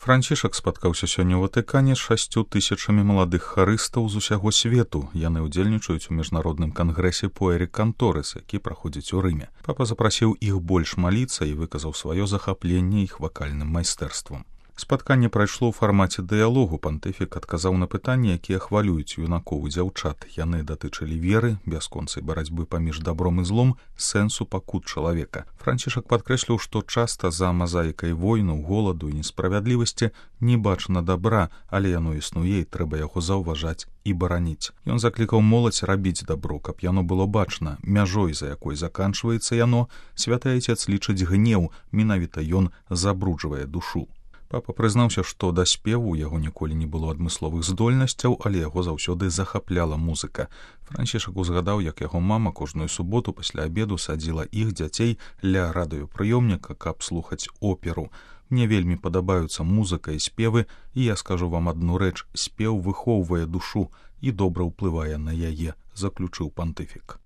Францішак спаткаўся сёння ў Ватыкане з 6 тысячамі маладых харыстаў з усяго свету. Яны ўдзельнічаюць у міжнародным кангрэсе Pueri Cantores, які праходзіць у Рыме. Папа запрасіў іх больш маліцца і выказаў сваё захапленне іх вакальным майстэрствам. Спатканне прайшло ў фармаце дыялогу. Пантыфік адказаў на пытанні, якія хвалююць юнакоў і дзяўчат. Яны датычылі веры, бясконцай барацьбы паміж дабром і злом, сэнсу пакут чалавека. Францішак падкрэсліў, што часта за мазаікай войнаў, голаду і несправядлівасці не бачна дабра, але яно існуе і трэба яго заўважаць і бараніць. Ён заклікаў моладзь рабіць дабро, каб яно было бачна. Мяжой, за якой заканчваецца яно, святы Айцец лічыць гнеў, менавіта ён забруджвае душу. Папа прызнаўся, што да спеву яго ніколі не было адмысловых здольнасцяў, але яго заўсёды захапляла музыка. Францішак узгадаў, як яго мама кожную суботу пасля абеду садзіла іх дзяцей ля радыёпрыёмніка, каб слухаць оперу. Мне вельмі падабаюцца музыка і спевы, і я скажу вам адну рэч: спеў выхоўвае душу і добра ўплывае на яе, заключыў пантыфік.